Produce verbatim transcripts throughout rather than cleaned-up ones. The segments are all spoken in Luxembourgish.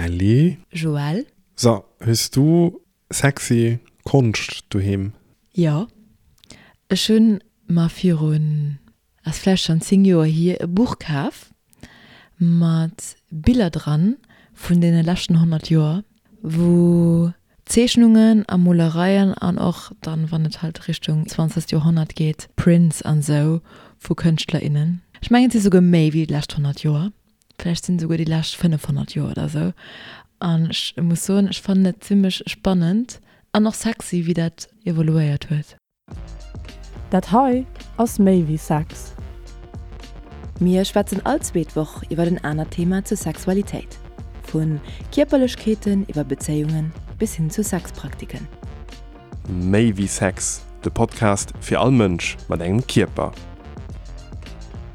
Kelly. Joël. So, hues du sexy Konscht doheem? Jo, ech hunn mer virun, ass vläicht schonn zéng Joer hier, e Buch kaf mat Biller dran vun deene leschten honnert Joer, wou Zeechnungen a Molereien an och dann, wann et halt Richtung zwanzegt Joerhonnert geet, Prints an sou vu Kënschtler, innen. Ech mengen et si souguer méi wéi déi lescht honnert Joer, vläicht sinn et souguer déi lescht fënnefhonnert Joer oder sou. An ech muss soen, ech fannen et zimmlech spannend an och sexy, wéi dat evoluéiert huet. Dat hei ass méi wéi Sex. Mir schwätzen all zweet Woch iwwer en anert Thema zur Sexualitéit. Vu Kierperlechkeeten iwwer Bezéiungen bis hin zu Sexpraktiken. Méi wéi Sex, de Podcast fir all Mënsch mat engem Kierper.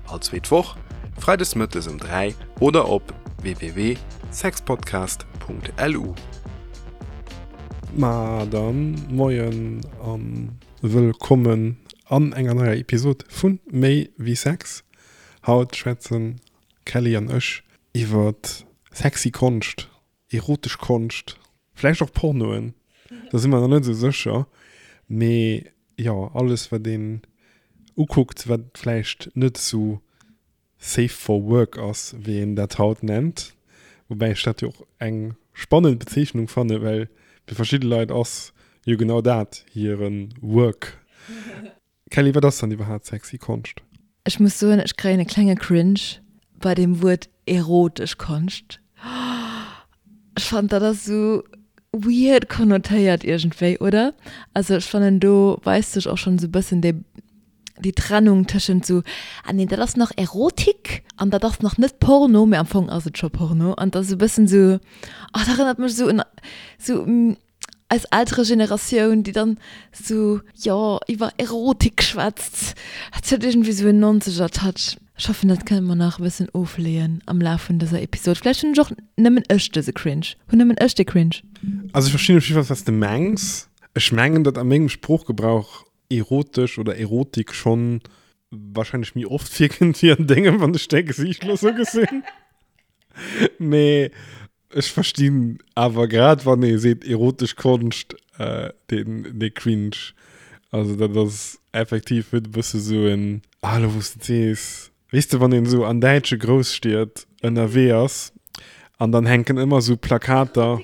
All zweet Woch, freides mëttes um dräi oder op w w w sexpodcast punkt l u. Ma dann, moien an wëllkommen an enger neier Episod vun Méi wéi Sex. Haut schwätzen Kelly an ech iwwert sexy Konscht, erotesch Konscht, vläicht och Pornoen, do si mer nach net esou sécher, mee jo, alles wat een ukuckt, wat vläicht net esou safe for work ass, wéi een dat haut nennt, woubäi ech dat jo och eng spannend Bezeechnung fanne, well fir verschidde Leit ass jo genau dat hire Work. Kelly, wat ass dann iwwerhaapt sexy Konscht? Ech muss soen, ech kréien e klenge Cringe bei dem Wuert erotesch Konscht. Ech fannen, dat ass esou weird konnotéiert iergendwéi, oder? Also ech fannen, do weist sech och schonn esou e bëssen déi, déi Trennung tëschent esou, ah nee, dat ass nach Erotik an dat ass nach net Porno, mee am Fong ass et scho Porno. An dat ass esou e bëssen esou, oh, dat erënnert mech esou un esou eis ältere Generatioun, déi dann esou, jo, iwwer Erotik schwätzt. Dat huet iergendwéi esou en nonzeger Touch. Ech hoffen, dat kënne mer nach e bëssen ofleeën am Laf vun dëser Episod. Vläicht hunn ech och nëmmen ech dëse Cringe. Hunn nëmmen ech dee Cringe? Also ech verstinn op jiddwer Fall, wat s de mengs. Ech mengen, datt a mengem Sproochgebrauch erotesch oder Erotik schonn wahrscheinlech méi oft virkënnt wéi an dengem, wann ech däi Gesiicht elo sou gesinn. Mee ech verstinn awer grad, wann ee seet erotesch Konscht, äh, den, dee Cringe. Also dat ass effektiv huet e bësse sou en, ah, elo wou s de et sees, weess de, wann een esou an däitsche Grousstied ënnerwee ass an dann hänken ëmmer sou Plakater,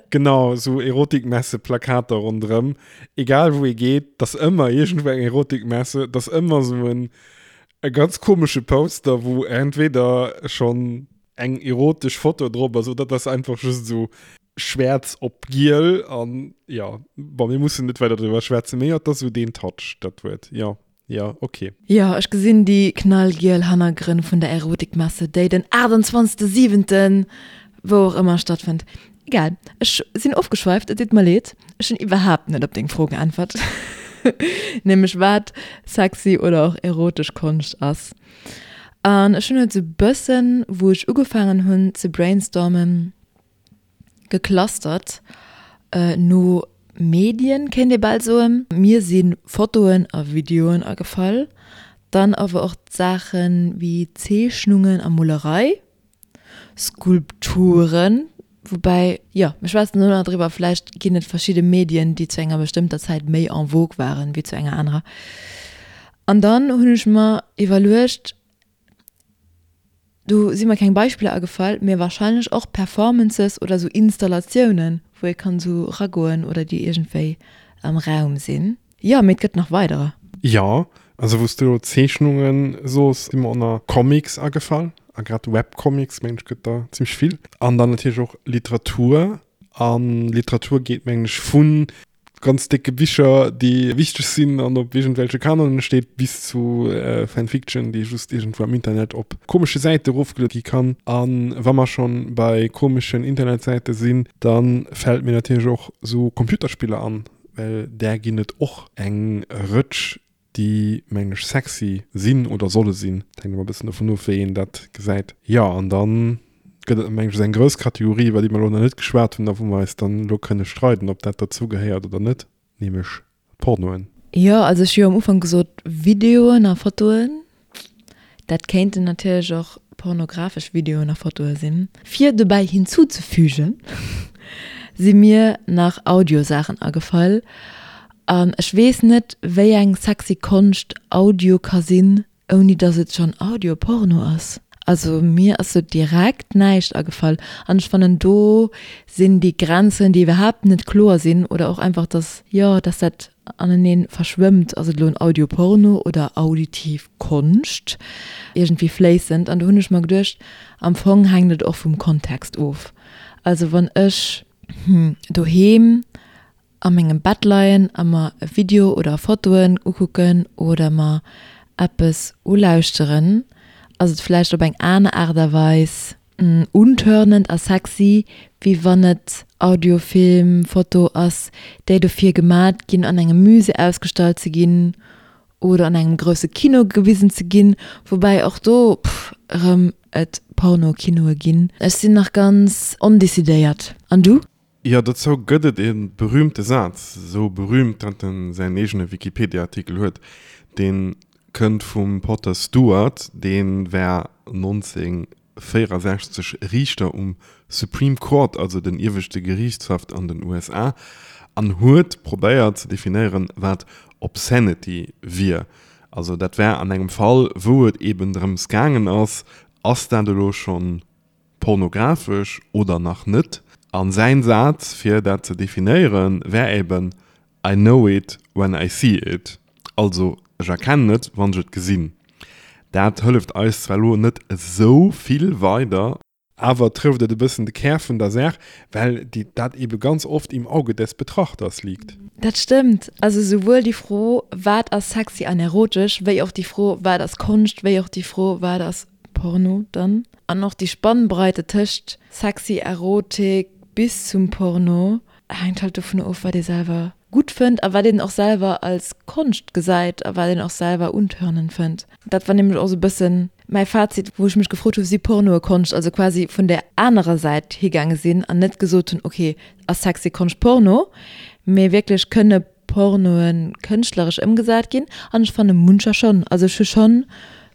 genau, sou Erotikmesse-Plakater ronderëm, egal wou ee geet, 't ass ëmmer iergendwou eng Erotikmesse, 't ass ëmmer sou en e ganz komesche Poster, wou entweder schonn eng erotesch Foto drop ass oder 't ass einfach just esou schwäerz op giel an jo, bon, mir mussen net weider driwwer schwätzen, mee jo, 't ass esou deen Touch, dat Wuert, jo, jo, ok. Jo, ech gesinn déi knallgiel Hannergrënn vun der Erotikmesse, déi den aachtundzwanzegste siwenten wou och ëmmer stattfënnt. Egal, ech sinn ofgeschweift, et deet mer leed, ech hunn iwwerhaapt net op deng Fro geäntwert, nämlech wat sexy oder och erotesch Konscht ass. An ech hunn et esou bëssen, wou ech ugefaangen hunn ze brainstormen, geclustert no Medien, kéint ee bal soen. Mir si Fotoen a Videoen agefall, dann awer och Saache wéi Zeechnungen a Molerei, Skulpturen, woubäi, jo, mir schwätzen elo nach driwwer, vläicht ginn et verschidde Medien, déi zu enger bestëmmter Zäit méi en vogue waren wéi zu enger anerer. An dann hunn ech mer iwwerluecht, do si mer keng Beispiller agefall, mee wahrscheinlech och Performances oder sou Installatiounen, wou ee kann sou ragoen oder déi iergendwéi am Raum sinn. Jo, mee et gëtt nach weiderer. Jo, also wou s du elo Zeechnunge sos, si mer och nach Comics agefall, a grad Webcomics, mengen ech, gëtt der zimmlech vill. An dann natierlech och Literatur. A Literatur geet, mengen ech, vu ganz décke Bicher, déi wichteg sinn an op iergendwelche Kanonen steet, bis zu Fanfiction, déi just iergendwou am Internet op komesche Säite erofgeluede gi kann. A wa mer schonn bei komeschen Internetsäite sinn, da fält mir natierlech och sou Computerspiller an, well där ginn et och eng Rëtsch, déi, mengen ech, sexy sinn oder solle sinn. Dat hänkt ëmmer e bëssen dovun of, wéi een dat gesäit. Jo, an dann gëtt et, mengen ech, eng grouss Kategorie, iwwer déi mer elo nach net geschwat hunn a wou mer eis dann elo kënne streiden, ob dat derzou gehéiert oder net, nämlech d'Pornoen. Jo, also ech hu jo am Ufank gesot, Videoen a Fotoen, dat kéinten natierlech och pornografesch Videoen a Fotoe sinn. Fir dobäi hinzuzefügen, si mir nach Audiosaachen agefall. An ech weess net, wéi eng sexy Konscht Audio ka sinn, ouni dass et schonn Audio-Porno ass. Also mir ass sou direkt näischt agefall. An ech fannen, do sinn déi Grenzen, déi iwwerhaapt net kloer sinn, oder och einfach, dass, jo, dass dat aneneen verschwëmmt. Ass et elo en Audio-Porno oder auditiv Konscht? Iergendwéi fléissend. An do hunn ech mer geduecht, am Fong hänkt et och vum Kontext of. Also wann ech doheem a mengem Bett leien a mer e Video oder Fotoen ukucken oder mer eppes ulauschteren, ass et vläicht op eng aner Aart a Weis untörnend a sexy, wéi wann et Audio, Film, Foto ass, déi dofir gemat ginn, an engem Musée ausgestallt ze ginn oder an engem grousse Kino gewisen ze ginn, woubäi och do erëm et Porno-Kinoe ginn. Ech sinn nach ganz ondecidéiert. An du? Jo, dozou gëtt et e berühmte Saz, esou berühmt, datt en säin eegene Wikipedia-Artikel huet. Dee kënnt vum Potter Stewart, dee war nonzénhunnertvéierasechzeg Riichter um Supreme Court, also den ieweschte Geriichtshaff an den U S A, an huet probéiert ze definéieren, wat Obscenity wier. Also dat war an engem Fall, wou et eben drëms gaangen ass, ass dat elo schonn pornografesch oder nach net? An säin Saz, fir dat ze definéieren, wär eben I know it when I see it. Also, ech erkennen et, wann ech et gesinn. Dat hëlleft eis zwar elo net esou vill weider, awer trëfft et e bëssen de Kär vun der Saach, well déi, dat ebe ganz oft im Auge des Betrachters liegt. Dat stëmmt. Also souwuel déi Fro, wat ass sexy an erotesch, wéi och déi Fro, wat ass Konscht, wéi och déi Fro, wat ass Porno dann. An och déi Spannbreite tëscht sexy, Erotik bis zum Porno hänkt halt dovun of, wat ee selwer gutt fënnt a wat een och selwer als Konscht gesäit a wat een och selwer untörnend fënnt. Dat war nämlech och sou e bëssen mäi Fazit, wou ech mech gefrot hu, si Pornoe Konscht? Also quasi vun där anerer Säit higaange sinn an net gesot hunn, okay, ass sexy Konscht Porno, mee wierklech kënne Pornoe kënschtleresch ëmgesat ginn? An ech fanne muncher schonn. Also ech hu schonn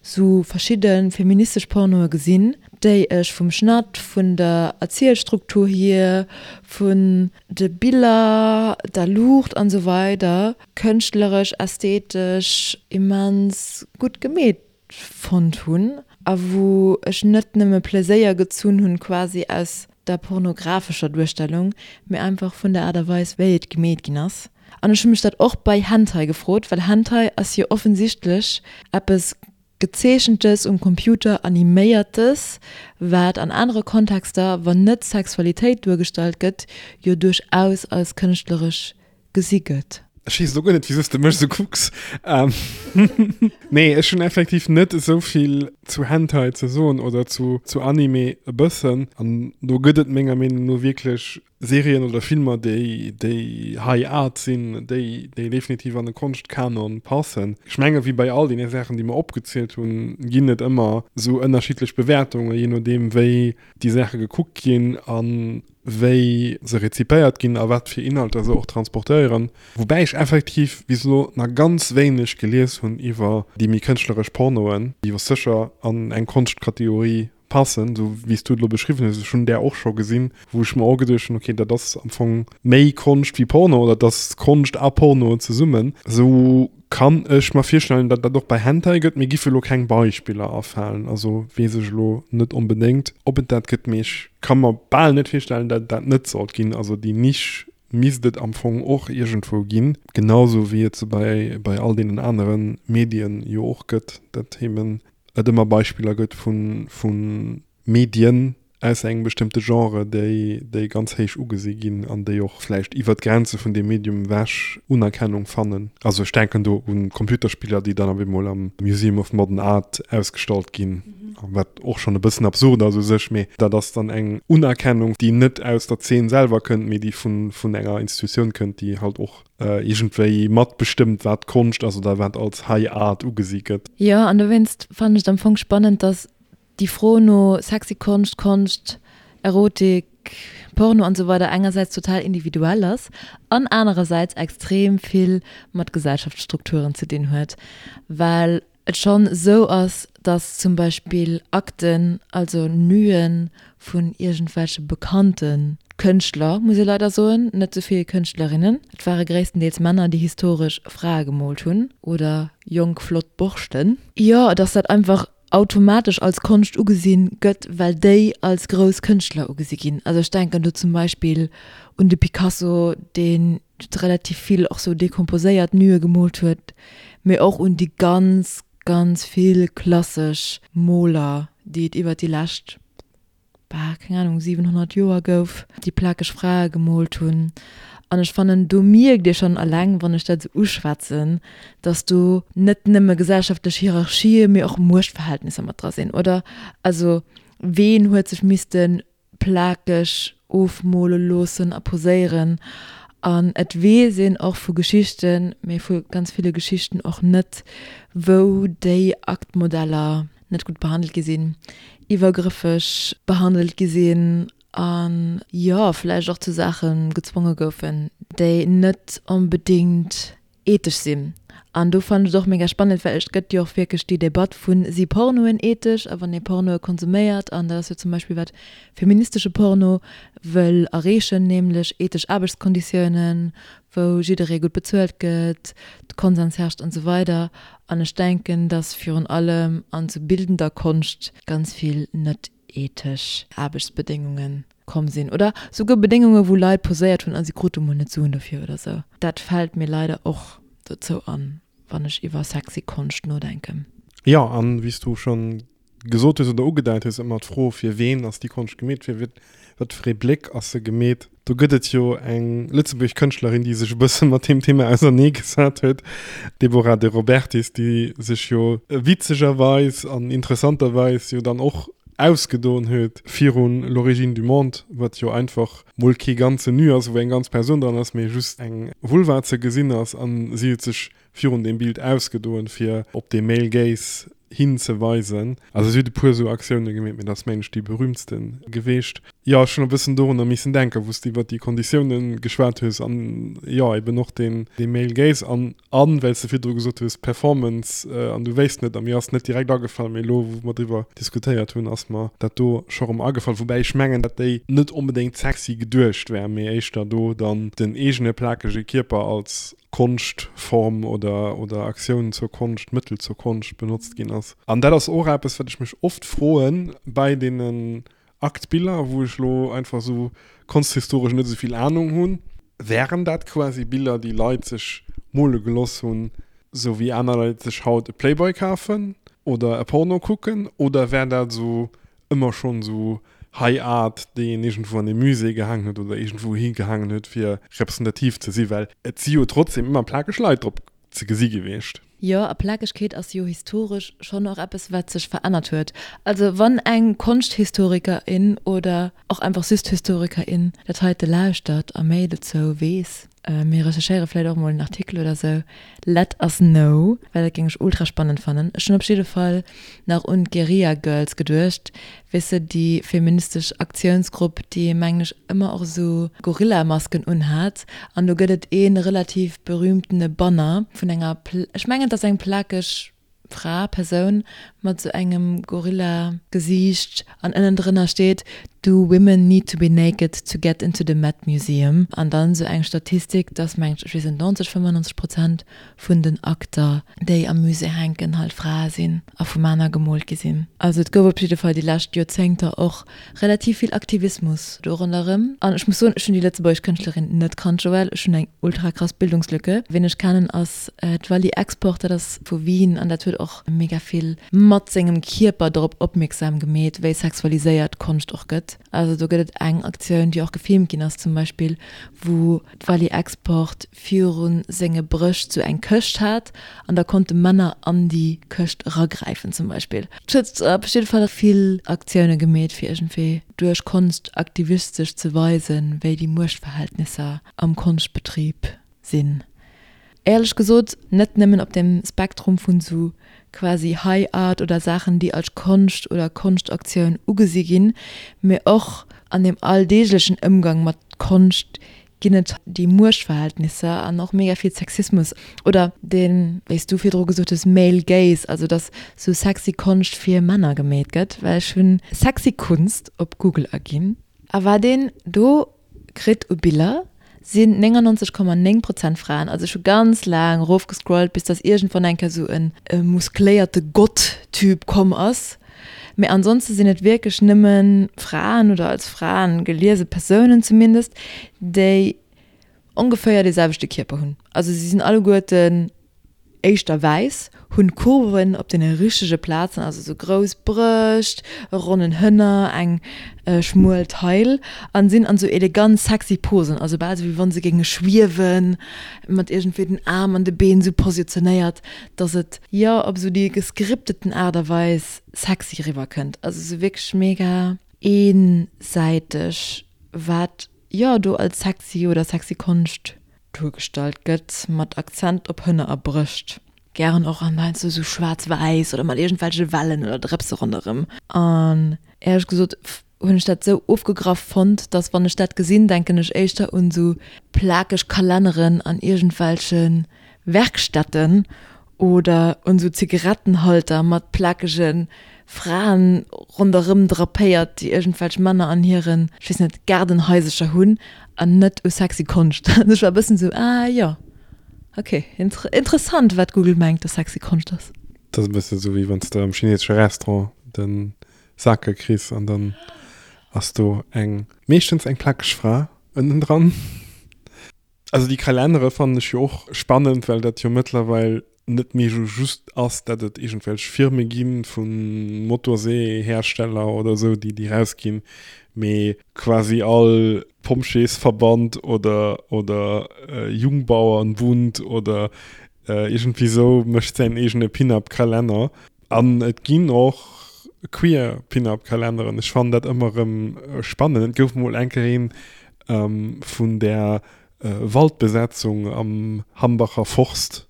sou verschidde feministesch Pornoe gesinn, déi ech vum Schnatt, vun der Erzielstruktur hier, vun de Biller, der Luucht an esou weider kënschtleresch, ästhetesch immens gutt gemeet fonnt hunn a wou ech net nëmme Pleséier gezunn hunn quasi aus der pornografescher Duerstellung, mee einfach vun der Aart a Weis, wéi et gemeet ginn ass. An ech hu mech dat och bei Hentai gefrot, well Hentai ass jo offensichtlech eppes Gezeechentes, um Computer animéiertes, wat an anere Kontexter, wann net Sexualitéit duergestallt gëtt, jo duerchaus als kënschtleresch gesi gëtt. Ech weess elo guer net, wisou s de mech esou kucks. Nee, ech hunn effektiv net esou vill zu Hentai ze soen oder zu, zu Anime e bëssen. An do gëtt et menger Meenung no wierklech Serien oder Filmer, déi, déi High Art sinn, déi, déi definitiv an de Konschtkanon passen. Ech menge wéi bei all deene Saachen, déi mer opgezielt hunn, ginn et ëmmer esou ënnerschiddlech Bewäertungen, jee nodeem wéi déi Saache gekuckt ginn a wéi se rezipéiert ginn a wat fir Inhalter se och transportéieren. Woubäi ech effektiv bis elo nach ganz wéineg gelies hunn iwwer déi méi kënschtleresch Pornoen, déi jo sécher an eng Konschtkategorie passen, sou wéi s du et elo beschriwwen hues. Ech hunn där och scho gesinn, wou ech mer och geduecht hunn, okay, dat ass am Fong méi Konscht wéi Porno oder dat ass Konscht a Porno zesummen. Sou kann ech mer virstellen, datt dat och bei Hentai gëtt. Mir giffe elo keng Beispiller afalen, also weess ech elo net onbedéngt, ob et dat gëtt, mee ech ka mer bal net virstellen, datt et dat net sollt ginn. Also déi Nisch misst et am Fong och iergendwou ginn, genau sou wéi et se bei, bei all deenen anere Medien jo och gëtt, datt eben et ëmmer Beispiller gëtt vu, vu Medien aus engem bestëmmte Genre, déi, déi ganz héich ugesi ginn an déi och vläicht iwwer d'Grenze vun deem Medium ewech Unerkennung fannen. Also ech denken do u Computerspiller, déi dann op eemol am Museum of Modern Art ausgestallt ginn, wat och schonn e bëssen absurd ass u sech, mee dat ass dann eng Unerkennung, déi net aus der Zeen selwer kënnt, mee déi vun, vun enger Institutioun kënnt, déi halt och iergendwéi matbestëmmt, wat Konscht ass oder wat als High Art ugesi gëtt. Jo, an dowéinst fannen ech et am Fong spannend, dass déi Fro no sexy Konscht, Konscht, Erotik, Porno an esou weider engersäits total individuell ass an anerersäits extrem vill mat Gesellschaftsstrukturen ze dinn huet, well et schonn esou ass, dass zum Beispill Akten, also Nuen vun iergendwelche bekannte Kënschtler, muss ee leider soen, net sou vill Kënschtlerinnen, et ware gréisstendeels Männer, déi historesch Frae gemoolt hunn oder jonk flott Borschten, jo, dass dat einfach automatesch als Konscht ugesinn gëtt, well déi als grouss Kënschtler ugesi ginn. Also ech denken do zum Beispill un de Picasso, deen relativ vill och sou dekomposéiert Nue gemoolt huet, mee och un déi ganz, ganz vill klassesch Moler, déi et iwwert déi lescht, bah, keng Ahnung, siwenhonnert Joer gouf, déi plakeg Frae gemoolt hunn. An ech fannen, do mierkt ee schonn eleng, wann ech dat esou uschwätzen, dass do net nëmme gesellschaftlech Hierarchië, mee och Muechtverhältnisser mat dra sinn, oder? Also, ween huet sech misste plakeg ofmole loossen a poséieren? An et weess een och vu Geschichten, mee vu ganz ville Geschichten och net, wou déi Aktmodeller net gutt behandelt gi sinn, iwwergrëffeg behandelt gi sinn an, jo, vläicht och zu Saache gezwonge goufen, déi net onbedéngt ethesch sinn. An do fannen ech et och mega spannend, well et gëtt jo och wierklech déi Debatt vu si Pornoen ethesch a wann ee Pornoe konsuméiert, an dat ass jo zum Beispill wat feministesche Porno wëll erreechen, nämlech ethesch Aarbechtskonditiounen, wou jidderee gutt bezuelt gëtt, de Konsens herrscht an esou weider. An ech denken, datt virun allem an sou bildender Konscht ganz vill net ethesch Aarbechtsbedéngunge komm sinn oder souguer Bedéngunge wou Leit poséiert hunn a si krute mol net Suen dofir oder sou. Dat fält mir leider och dozou an, wann ech iwwer sexy Konscht nodenken. Jo, an wéi s du schonn gesot hues oder ugedeit hues, ëmmer d'Fro, fir ween ass déi Konscht gemeet, fir wat fir ee Bléck ass se gemeet. Do gëtt et jo eng lëtzebuergesch Kënschtlerin, déi sech e bësse mat deem Thema auserneegesat huet, d'Deborah De Robertis, déi sech jo witzegerweis an interessanterweis jo dann och ausgedoen huet virun L'origine du monde, wat jo einfach mol kee ganzen Nu ass, wou eng ganz Persoun dran ass, mee just eng Vulva ze gesinn ass. An si huet sech virun deem Bild ausgedoen, fir op dee Male Gaze hinzeweisen. Also si huet e puer esou Aktioune gemeet, mee dat ass mengen ech déi berühmtste geweecht. Jo, ech hunn e bëssen dorunner missen denken, wou s de iwwer déi Konditioune geschwat hues an jo eben och deen dee Male Gaze an an well s de virdru gesot hues Performance an du wéisst net a mir ass net direkt agefall, mee elo wou mer driwwer diskutéiert hunn, ass mer dat do scho rëm agefall, woubäi ech mengen, datt déi net onbedéngt sexy geduecht war, mee éischter do dann den eegene plakege Kierper als Konschtform oder oder Aktioun zur Konscht, Mëttel zur Konscht benotzt ginn ass. An dat ass och eppes, wat ech mech oft froen bei deenen Aktbiller, wou ech elo einfach esou konsthistoresch net esou vill Anung hunn, Wären dat quasi Biller, déi Leit sech mole geloss hunn, esou wéi aner Leit sech haut e Playboy kafen oder e Porno kucken, oder wär dat esou ëmmer schonn esou High Art, déi een iergendwou an e Musée gehaangen huet oder iergendwou higehaangen huet, fir representativ ze sinn? Well et si jo trotzdem ëmmer plakeg Leit drop ze gesi gewiescht. Jo, a Plakegkeet ass jo historesch schonn och eppes, wat sech verännert huet. Also wann eng Konschthistorikerin oder och einfach just Historikerin dat heite lauschtert a méi dozou weess, mir recherchéiere vläicht och mol en Artikel oder sou, let us know, well dat géing ech ultra spannend fannen. Ech hunn op jidde Fall nach un d'Guerilla Girls geduecht, weess de, déi feministesch Aktiounsgrupp, déi mengen ech ëmmer och esou Gorilla-Masken unhat. An do gëtt et ee relativ berühmtene Banner vun enger, ech mengen et ass eng plakeg Fra, Persoun mat esou engem Gorilla-Gesiicht an ënnendrënner steet, Do women need to be naked to get into the Met Museum? An dann esou eng Statistik, dass mengen ech, ech weess net, neunzeg, fënnfannonzeg Prozent vun den Akter, déi am Musée hänken, halt Frae sinn a vu Männer gemoolt gi sinn. Also et gouf op jidde Fall déi lescht Joerzéngter och relativ vill Aktivismus do ronderëm. An ech muss soen, ech hunn déi lëtzebuergesch Kënschtlerin net kannt, Joël. Ech hunn eng ultra krass Bildungslücke. Wien ech kennen ass d'Wally Export, dat ass vu Wien an dat huet och mega vill mat sengem Kierper dorop opmierksam gemeet, wéi sexualiséiert Konscht och gëtt. Also do gëtt et eng Aktioun, déi och gefilmt ginn ass zum Beispill, wou d'Wally Export viru senge Brëscht sou eng Këscht hat an da konnte Männer an déi Këscht eragräifen zum Beispill. Et huet op jidde Fall vill Aktioune gemeet fir iergendwéi duerch Konscht aktivistesch ze weisen, wéi déi Muechtverhältnisser am Konschtbetrib sinn. Éierlech gesot net nëmmen op dem Spektrum vun sou quasi High Art oder Saachen, déi als Konscht oder Konschtaktioun ugesi ginn, mee och an dem alldeeglechen Ëmgang mat Konscht ginn et déi Muechtverhältnisser an och mega vill Sexismus oder deen, wéi s du virdru gesot hues, Male Gaze, also dass sou sexy Konscht fir Männer gemeet gëtt, well ech hunn sexy Kunst op Google aginn a wat een do kritt u Biller sinn néngannonzeg Komma néng Prozent Fraen. Also ech hu ganz laang erofgescrollt bis dass iergendwann eng Kéier sou e muskléierte Gott-Typ komm ass. Mee ansonste sinn et wierklech nëmme Fraen oder als Fraen geliese Persounen zumindest, déi ongeféier dee selwechte Kierper hunn. Also si sinn alleguerten éischter wäiss, hunn Kurven op deene richtege Plazen, also sou grouss Brëscht, e ronnen Hënner, eng schmuel Taille an sinn an sou elegant sexy Posen, also bal sou wéi wann se géinge schwiewen, mat iergendwéi den Aarm an de Been sou positionéiert, dass et, jo, op sou déi gescripteten Aart a Weis sexy eriwwer kënnt. Also sou wierklech mega eensäiteg, wat, jo, do als sexy oder sexy Konscht duergestallt gëtt, mat Akzent op Hënner a Brëscht. Gären och an heiansdo sou schwaarz-wäiss oder mat iergendwelche Wellen oder Drëpse ronderëm. An éierlech gesot hunn ech dat sou ofgegraff fonnt, dass wann ech dat gesinn, denken ech éischter un sou plakeg Kalenneren an iergendwelche Werkstätten oder un sou Zigarettenhalter mat plakege Fraen ronderëm drapéiert, déi iergendwelch Männer an hiren, ech weess net, Gaardenhaisercher hunn, an net u sexy Konscht. Also ech war e bëssen sou, ah jo, ok, interessant, wat Google mengt, dass sexy Konscht ass. Dat ass e bësse sou, wéi wann s de am chinesesche Restaurant de Sake kriss an dann ass do eng, meeschtens eng plakeg Fra ënnendran. Also déi Kalennere fannen ech jo och spannend, well dat jo mëttlerweil net méi esou just ass, datt et iergendwelch Firme gi vu Motorseehersteller oder esou, déi déi rausginn, mee quasi all Pompjeesverband oder oder Jungbauernbund oder iergendwéi esou mécht säin eegene Pin-Up-Kalenner. An et ginn och queer Pin-Up-Kalenneren. Ech fannen dat ëmmer erëm spannend. Et gouf mol eng Kéier een vun der Waldbesetzung am Hambacher Forst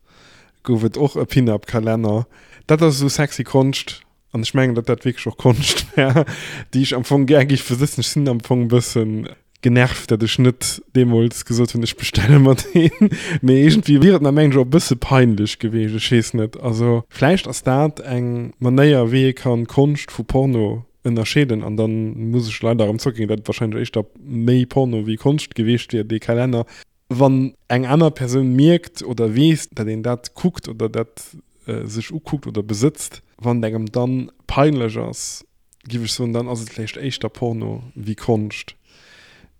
gouf et och e Pin-Up-Kalenner. Dat ass esou sexy Konscht, an ech mengen, datt dat wierklech och Konscht wär, déi ech am Fong gär géif besëtzen. Ech sinn am Fong e bësse genervt, datt ech net deemools gesot hunn, ech bestelle mer deen. Mee iergendwéi wier et mer, mengen ech, och e bësse peinlech gewiescht. Ech weess net. Also vläicht ass dat eng Manéier, wéi ee kann Konscht vu Porno ënnerscheeden. An dann muss ech leider erëm zréckginn, datt et wahrscheinlech éischter méi Porno wéi Konscht gewiescht wier, dee Kalenner. Wann eng aner Persoun mierkt oder weess, datt een dat kuckt oder dat sech ukuckt oder besëtzt, wann et engem dann peinlech ass, giff ech soen, dann ass et vläicht éischter Porno wéi Konscht.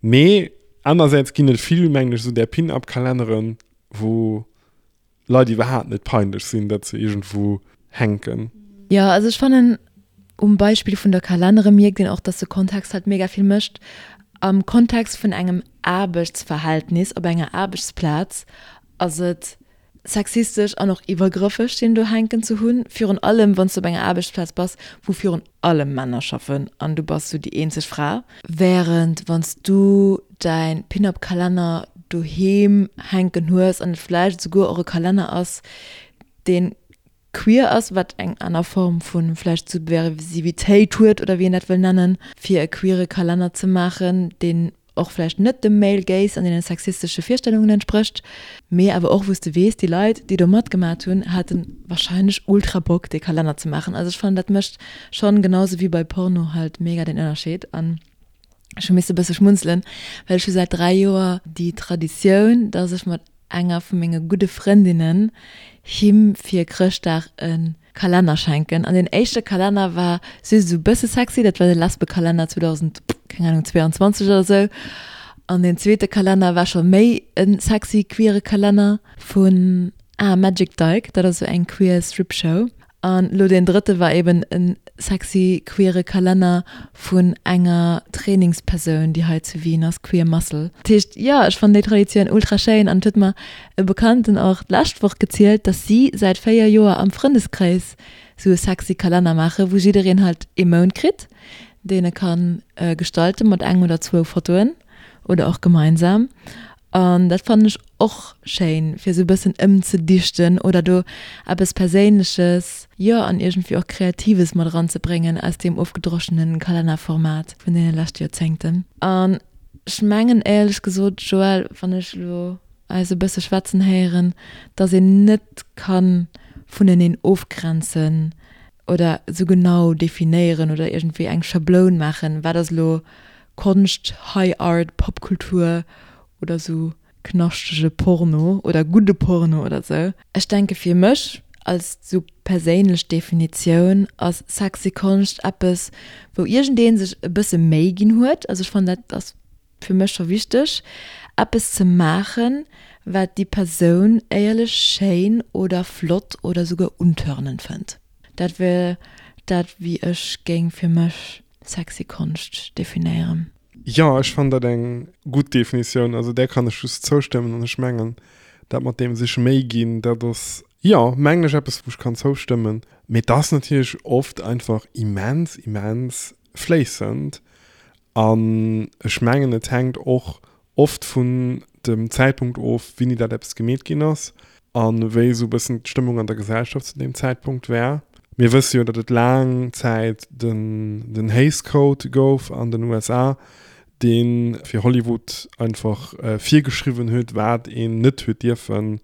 Mee anersäits ginn et vill, mengen ech, esou där Pin-Up-Kalenneren, wou Leit iwwerhaapt net peinlech sinn, datt se iergendwou hänken. Jo, also ech fannen, um Beispill vun der Kalennere mierkt een och, dass de Kontext halt mega vill mécht. Am Kontext vun engem Aarbechtsverhältnis op enger Aarbechtsplaz ass et sexistesch an och iwwergrëffeg, deen do hänken ze hunn, virun allem wann s du op enger Aarbechtsplaz bass, wou virun allem Männer schaffen an du bass sou déi eenzeg Fra. Wärend wann s du däin Pin-Up-Kalenner doheem hänken hues an et vläicht esouguer och e Kalenner ass, deen queer ass, wat eng aner Form vu vläicht Subversivitéit huet oder wéi een dat wëll nennen, fir e queere Kalenner ze maachen, deen och vläicht net dem Male Gaze an deene sexistesche Virstellungen entsprécht, mee awer och wou s de weess, déi Leit, déi do matgemat hunn, hate warscheinlech ultra Bock, dee Kalenner ze maachen. Also ech fannen, dat mécht schonn, genau sou wéi bei Porno halt, mega den Ënnerscheed. An ech hu misse e bësse schmunzelen, well ech hu säit dräi Joer déi Traditioun, dass ech mat enger vu menge gudde Frëndinnen him fir Chrëschtdag e Kalenner schenken. An deen éischte Kalenner war just esou e bësse sexy, dat war de Lesbekalenner zweedausend, keng Ahnung, zweeanzwanzeg oder esou. An deen zweete Kalenner war scho méi e sexy queere Kalenner vun, ah, Magic Dyke, dat ass esou eng queer Strip-Show. An elo deen drëtte war eben e sexy queere Kalenner vun enger Trainingspersoun, déi hei zu Wien ass, Queer Muscle. Dat heescht, jo, ech fannen déi Traditioun ultra schéin an et huet mer e Bekannten och d'lescht Woch gezielt, dass si säit véier Joer am Frëndeskreis sou e sexy Kalenner maachen, wou jiddereen halt ee Mount kritt, deen e ka gestalten mat eng oder zwou Fotoen oder och gemeinsam. An dat fannen ech och schéin, fir esou e bëssen ëmzedichten oder do eppes Perséinleches, jo, an iergendwéi och Kreatives mat eranzebréngen aus deem ofgedroschene Kalennerformat vun deene leschte Joerzéngten. An Ech mengen éierlech gesot, Joël, wann ech elo eis e bësse schwätzen héieren, dass een net ka vuneneen ofgrenzen oder esou genau definéieren oder iergendwéi eng Schabloun maachen, wat ass elo Konscht, High Art, Popkultur oder esou knaschtege Porno oder gudde Porno oder esou. Ech denke fir mech als esou perséinlech Definitioun ass sexy Konscht eppes, wou iergendee sech e bësse Méi ginn huet, also ech fannen dat ass fir mech scho wichteg, eppes ze maachen, wat déi Persoun éierlech schéin oder flott oder souguer untörnend fënnt. Dat wär dat, wéi ech géing fir mech sexy Konscht definéieren. Jo, ech fannen dat eng gutt Definitioun. Also där kann ech just zoustëmmen an ech mengen, dat mat deem sech Méi ginn, dat ass, jo, mengen ech eppes, wou ech kann zoustëmmen. Mee et ass natierlech oft einfach immens, immens fléissend an ech mengen, et hänkt och oft vun dem Zäitpunkt of, wéini dat eppes gemeet ginn ass a wéi esou e bëssen d'Stëmmung an der Gesellschaft zu deem Zäitpunkt war. Mir wësse jo, datt et laang Zäit den, den Hays Code gouf an den U S A, dee fir Hollywood einfach virgeschriwwen huet, wat een net huet dierfe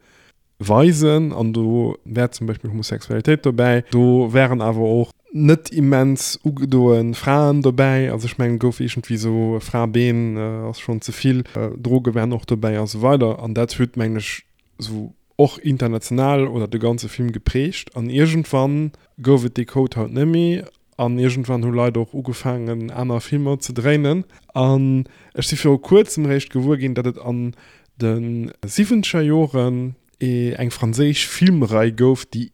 weisen. An do wär zum Beispill Homosexualitéit dobäi. Do wären awer och net immens ugedoe Fraen dobäi. Also ech mengen, gouf iergendwéi esou Fra-Been ass schonn ze vill, Droge wären och dobäi a sou weider. An dat huet, mengen ech, esou och international oder de ganze Film geprägt. An iergendwann gouf et dee Code haut net méi. An iergendwann hu Leit och ugefaangen, aner Filmer ze dréinen. An ech si viru kuerzem eréischt gewuer ginn, datt et an de siwwenzeger Joren eng franséisch Filmrei gouf, déi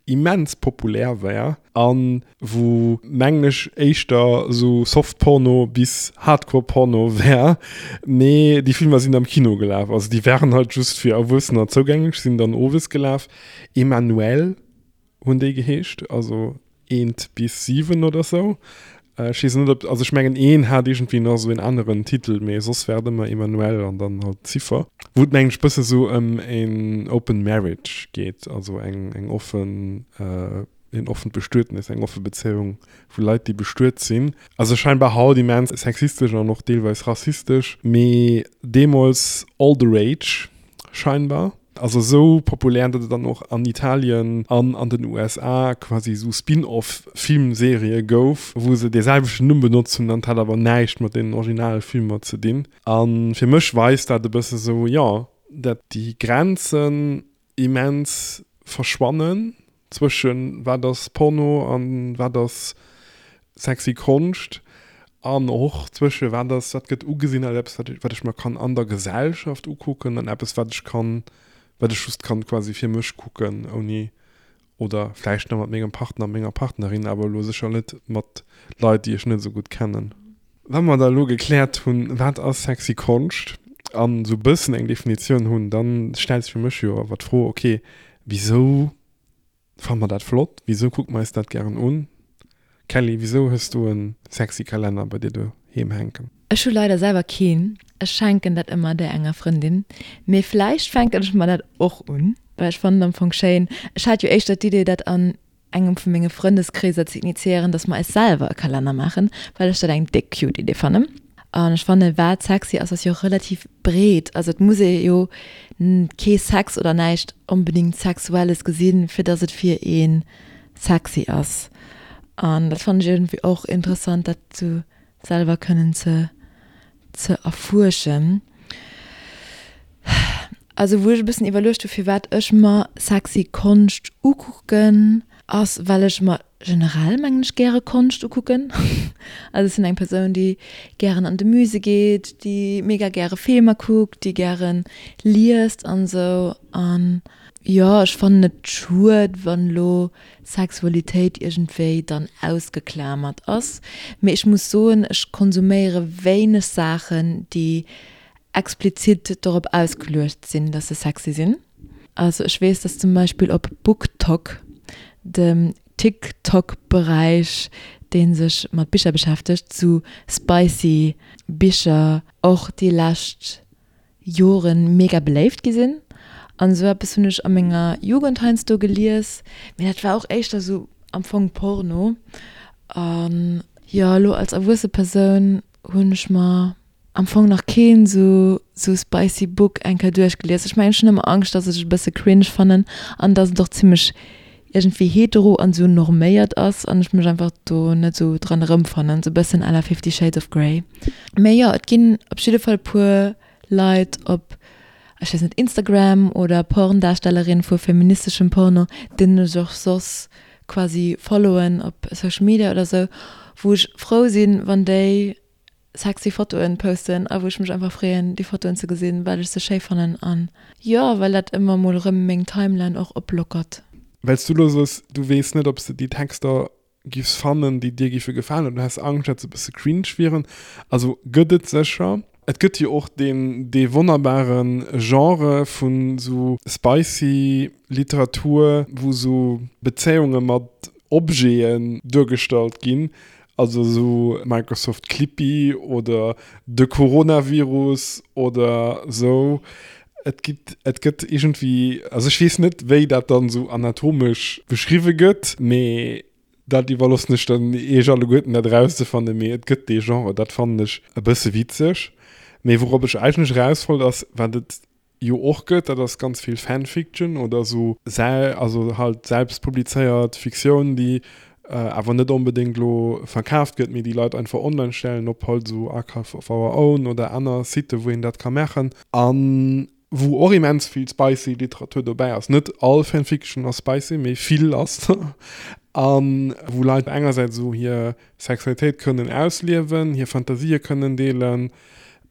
immens populär war an wou, mengen ech, éischter esou Softporno bis Hardcore-Porno war. Mee déi Filmer sinn am Kino gelaf. Also déi waren halt just fir Erwuessener zougänglech, sinn dann owes gelaf. Emmanuelle hunn déi geheescht, also eent bis siwen oder sou. Ech weess net, ob, also ech mengen, een hat iergendwéi nach esou en aneren Titel, mee soss war et ëmmer Emmanuelle an dann halt d'Ziffer. Wou et, mengen ech, bësse sou ëm en Open Marriage geet, also eng, eng offen, een offent Bestuetnis, eng offe Bezéiung vu Leit, déi bestuet sinn. Also scheinbar haut immens sexistesch an och deelweis rassistesch, mee deemools all the rage scheinbar. Also esou populär, datt et dann och an Italien an an den U S A quasi esou Spin-off-Filmserië gouf, wou se dee selwechten Numm benotzt hunn, an et hat awer näischt mat deenen Originalfilmer ze dinn. A fir mech weist dat e bësse sou, jo, datt déi Grenzen immens verschwannen zwëschen wat ass Porno an wat ass sexy Konscht an och zwësche wat ass, wat gëtt ugesinn als eppes, wat ech, wat ech mer kann an der Gesellschaft ukucken an eppes, wat ech kann, wat ech just kann quasi fir mech kucken, ouni oder vläicht nach mat mengem Partner, menger Partnerin, awer elo sécher net mat Leit, déi ech net esou gutt kennen. Wa mer da elo gekläert hunn, wat ass sexy Konscht an esou e bëssen eng Definitioun hunn, dann stellt sech fir mech jo awer d'Fro, okay, wisou fanne mer dat flott? Wisou kucke mer eis dat gären un? Kelly, wisou hues du en sexy Kalenner bei dir doheem hänken? Ech hu leider selwer keen. Ech schenken dat ëmmer där enger Frëndin. Mee vläicht fänken ech mer dat och un, well ech fannen am Fong schéin. Ech hat jo éischter d'Idee, dat an engem vu menge Frëndeskreeser ze initiéieren, dass mer eis selwer e Kalenner maachen, well ech dat eng déck cute Idee fannen. An ech fannen, wat sexy ass, ass jo relativ breet. Also et muss ee jo kee Sex oder näischt onbedingt Sexuelles gesinn, fir dass et fir ee sexy ass. An dat fannen ech iergendwéi och interessant, dat sou selwer kënnen ze, ze erfuerschen. Also wou ech e bëssen iwwerluecht hu, firwat ech mer sexy Konscht ukucken, ass, well ech mer generell, mengen ech, gäre Konscht ukucken. Also ech sinn eng Persoun, déi gären an de Musée geet, déi mega gäre Filmer kuckt, déi gären liest an esou. An jo, ech fannen et schued, wann elo Sexualitéit iergendwéi dann ausgeklamert ass. Mee ech muss soen, ech konsuméiere wéineg Saachen, déi explizit dorop ausgeluecht sinn, dass se sexy sinn. Also ech weess, dass zum Beispill op BookTok, dem TikTok-Beräich, dee sech mat Bicher beschäftegt, zu spicy Bicher och déi lescht Joren mega beléift gi sinn. An esou eppes hunn ech a menger Jugend heiansdo gelies, mee dat war och éischter esou am Fong Porno. An jo, elo als erwuesse Persoun hunn ech mer am Fong nach keen sou sou spicy Book eng Kéier duerchgelies. Ech mengen ech hunn ëmmer Angscht, dass ech et e bësse cringe fannen an dass et och zimmlech iergendwéi hetero an sou norméiert ass an ech mech einfach do net sou dran erëmfannen, sou e bëssen à la Fifty Shades of Grey. Mee jo, et ginn op jidde Fall e puer Leit op, ech weess net, Instagram oder Porndarstellerin vu feministeschem Porno, deenen ech och soss quasi followen op Social Media oder sou, wou ech frou sinn, wann déi sexy Fotoen posten a wou ech mech einfach freeën, déi Fotoen ze gesinn, well ech se schéi fannen an jo, well dat ëmmer mol erëm meng Timeline och oplockert. Well s du elo soos, du weess net, ob s de déi Texter giffs fannen, déi dir giffe gefalen, oder du häss Angscht, datt se e bësse cringe wieren. Also gëtt et sécher. Et gëtt jo och deen, dee wonnerbare Genre vun esou spicy Literatur, wou esou Bezéiunge mat Objeten duergestallt ginn, also esou Microsoft Clippy oder de Coronavirus oder esou. Et gitt, et gëtt iergendwéi, also ech weess net, wéi dat dann esou anatomesch beschriwwe gëtt, mee dat iwwerloossen ech dann iech alleguerten, dat erauszefannen, mee et gëtt dee Genre, dat fannen ech e bësse witzeg. Mee wourop ech eigentlech eraus wollt, ass, wat et jo och gëtt, dat ass ganz vill Fanfiction oder esou, also halt selbst publizéiert Fiktioun, déi awer net onbedéngt elo verkaaft gëtt, mee déi Leit einfach online stellen op halt esou Archive of Our Own oder aner Siten, wou een dat ka maachen a wou och immens vill spicy Literatur dobäi ass. Net all Fanfiction ass spicy, mee vill ass der a wou Leit engersäits esou hir Sexualitéit kënnen ausliewen, hir Fantasië kënnen deelen,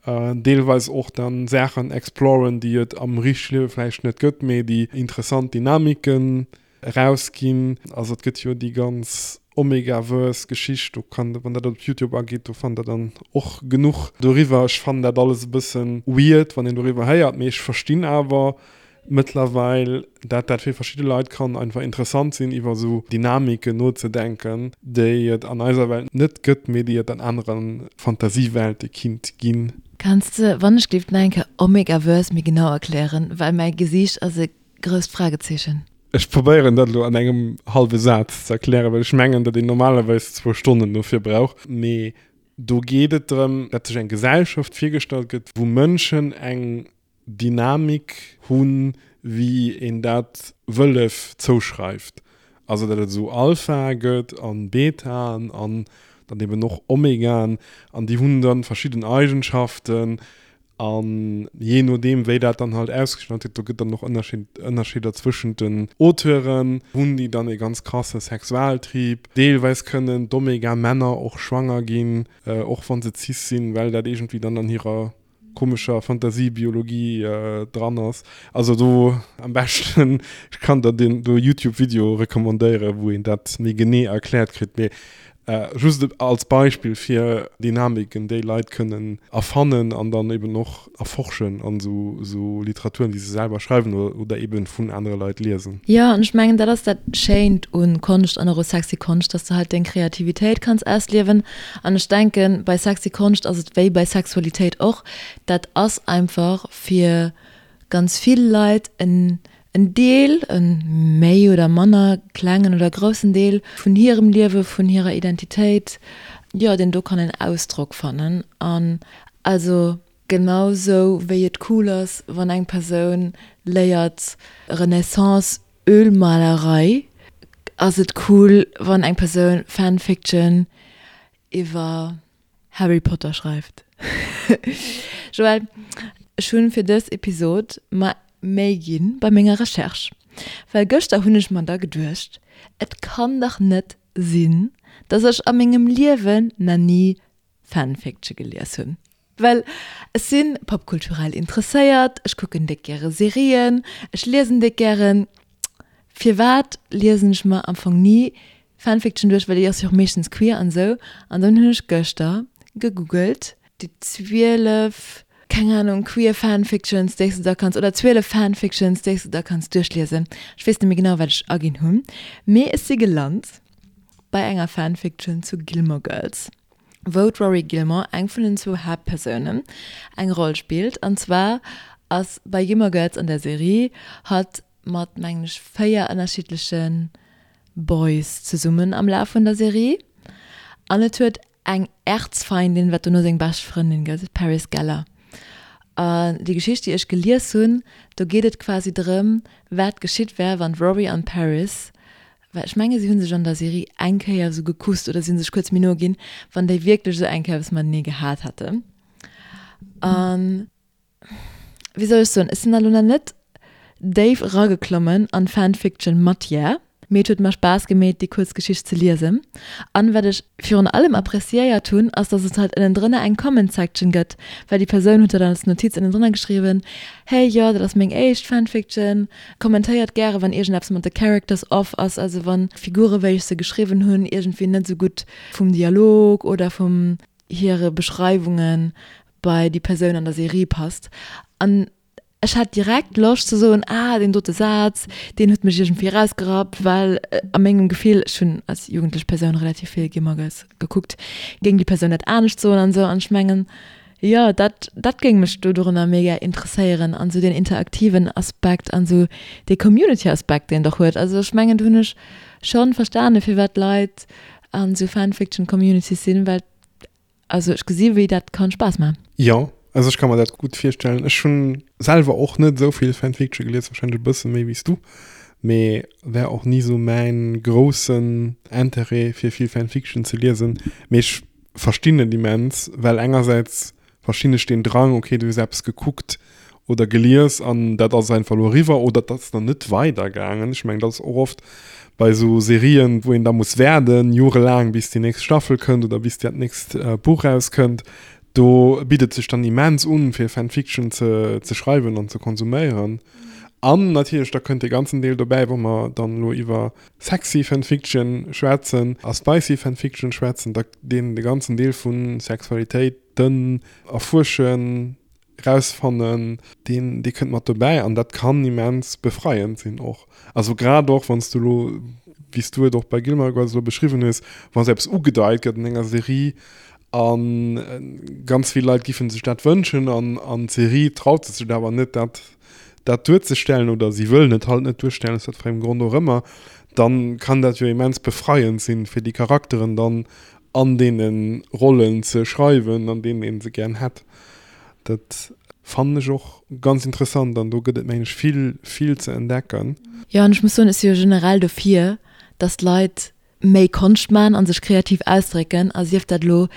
deelweis och dann Saachen exploren, déi et am richtege Liewe vläicht net gëtt, mee déi interessant Dynamiken erausginn. Also et gëtt jo déi ganz Omegaverse-Geschicht, do kann, wann der dat op Youtube agitt, do fannt der dann och genuch doriwwer. Ech fannen dat alles e bëssen weird, wann een doriwwer héiert, mee ech verstinn awer mëttlerweil, dat dat fir verschidde Leit kann einfach interessant sinn, iwwer esou Dynamiken nozedenken, déi et an eiser Welt net gëtt, mee déi et an anere Fantasiewelte kinnt ginn. Kanns de wannechgelift nach eng Kéier Omegaverse méi genau erklären, well mäi Gesiicht ass e grousst Fragezeechen. Ech probéieren dat elo an engem hallwe Saz ze erklären, well ech mengen, datt een normalerweis zwou Stonnen dofir brauch. Mee do geet et drëm, datt sech eng Gesellschaft virgestallt gëtt, wou Mënschen eng Dynamik hunn, wéi een dat Wëllef zouschreift. Also datt et esou Alphae gëtt an Betaen an dann eben och Omegaen an déi hunn dann verschidden Eigenschaften an jee nodeem wéi dat dann halt ausgestallt gëtt, do gëtt dann och Ënnerscheeder zwëschent den Auteuren, hunn déi dann e ganz krasse Sexualtrieb. Deelweis kënnen d'Omega-Männer och schwanger ginn, och wa se cis sinn, well dat iergendwéi dann an hirer komescher Fantasiebiologie dran ass. Also do am beschten, ech kann der deen do Youtube Video recommandéieren, wou een dat méi genee erkläert kritt, mee just als Beispill fir Dynamiken déi Leit kënnen erfannen an dann eben och erforschen an esou Literaturen déi se selwer schreiwen oder eben vun anere Leit liesen. Jo, an ech mengen dat ass dat Schéint un Konscht an och u sexy Konscht, dass de halt deng Kreativitéit kanns ausliewen. An ech denken, bei sexy Konscht ass et wéi bei Sexualitéit och, dat ass einfach fir ganz vill Leit en en Deel, e méi oder manner klengen oder groussen Deel vun hirem Liewe, vun hirer Identitéit, jo, deen do kann en Ausdrock fannen. An also genau sou wéi et cool ass, wann eng Persoun léiert Renaissance Ölmalerei, ass et cool, wann eng Persoun Fanfiction iwwer Harry Potter schreift. Joël, ech hunn fir dës Episod mer Méi ginn bei menger Recherche, well gëschter hunn ech mer da geduecht, et kann dach net sinn, dass ech a mengem Liewen na ni Fanfiction gelies hunn. Well ech si popkulturell interesséiert, ech kucken déck gäre Serien, ech liesen déck gären. Firwat liesen ech mer am Fong ni Fanfiction duerch, well déi ass jo och meeschtens queer an esou. An dann hunn ech gëschter gegoogelt, déi zwielef, keng Ahnung, queer Fanfictions, déi s de da kanns, oder zwielef Fanfictions, déi s de da kanns duerchliesen. Ech weess net méi genau, wat ech aginn hunn, mee ech si gelant bei enger Fanfiction zu Gilmore Girls, wou d'Rory Gilmore, eng vun den zwou Haaptpersounen, eng Roll spillt. An zwar ass bei Gilmore Girls an der Serie hatt mat, mengen ech, véier ënnerschiddleche Boys zesummen am Laf vun der Serie. An et huet eng Erzfeindin, wat dono seng bescht Frëndin gëtt, d'Paris Geller. An déi Geschicht, déi ech gelies hunn, do geet et quasi drëm, wat geschitt wär, wann d'Rory an d'Paris, well ech menge si hu sech an der Serie eng Kéier esou gekusst oder si hu sech kuerz méi no ginn, wann déi wierklech esou eng Kéier eppes matenee gehat hätten. An wéi soll ech soen, ech sinn da lo nach net déif erageklommen an d'Fanfiction-Matière, mee et huet mer Spaass gemeet, déi kuerz Geschicht ze liesen. An wat ech virun allem appreciéiert hunn, ass, dass et halt ënnendrënner eng Comment-Section gëtt, well déi Persoun huet dat dann als Notiz ënnendrënner geschriwwen, Hey, jo, dat ass meng éischt Fanfiction, kommentéiert gäre wann iergendeppes mat de Characters off ass, also wann d'Figure wéi ech se geschriwwen hunn iergendwéi net esou gutt vum Dialog oder vum hire Beschreiwunge bei déi Persoun an der Serie passt. An ech hat direkt Loscht ze soen, ah, deen dote Saz, deen huet mech iergendwéi erausgerappt, well a mengem Gefill, ech hunn als jugendlech Persoun relativ vill Gilmore Girls gekuckt, géing déi Persoun dat anescht soen an esou. An ech mengen, jo, dat, dat géing mech do dorunner mega interesséieren an esou deen interaktiven Aspekt an esou dee Community-Aspekt, deen et och huet. Also ech mengen, do hunn ech schonn verstane firwat Leit an esou Fanfiction-Communities sinn, well Also ech gesi wéi dat kann Spaass man. Jo, also ech ka mer dat gutt virstellen. Ech hunn selwer och net esou vill Fanfiction gelies, wahrscheinlech e bësse méi wéi s du, mee war och ni esou mäin groussen Interêt fir vill Fanfiction ze liesen. Mee ech verstinn et immens, well engersäits verstinn ech deen Drang, okay du hues eppes gekuckt oder gelies an dat ass einfach elo eriwwer oder dat ass nach net weidergaangen. Ech mengen dat ass och oft bei esou Serien, wou een da muss waarden, jorelaang, bis déi nächst Staffel kënnt oder bis dat nächst Buch rauskënnt. Do bitt et sech dann immens un, fir Fanfiction ze ze schreiwen an ze konsuméieren. An natierlech, da kënnt dee ganzen Deel dobäi, wou mer dann elo iwwer sexy Fanfiction schwätzen a spicy Fanfiction schwätzen, da deen de ganzen Deel vu Sexualitéiten erfuerschen, rausfannen, deen, dee kënnt mat dobäi an dat kann immens befreiend sinn och. Also grad och wann s du elo, wéi s du et och bei Gilmore Girls elo beschriwwen hues, wa sou eppes ugedeit gëtt an enger Serie a ganz vill Leit giffen sech dat wënschen an an d'Serie traut sech dat awer net, dat dat duerzestellen oder si wëllen et halt net duerstellen, aus wat fir engem Grond och ëmmer, dann kann dat jo immens befreiend sinn, fir déi Charakteren dann an deene Rollen ze schreiwen, an deenen ee se gären hätt. Dat fannen ech och ganz interessant an do gëtt et mengen ech vill, vill ze entdecken. Jo, an ech muss soen, ech si jo generell dofir, dass d'Leit méi Konscht man a sech kreativ ausdrécken, a sief dat elo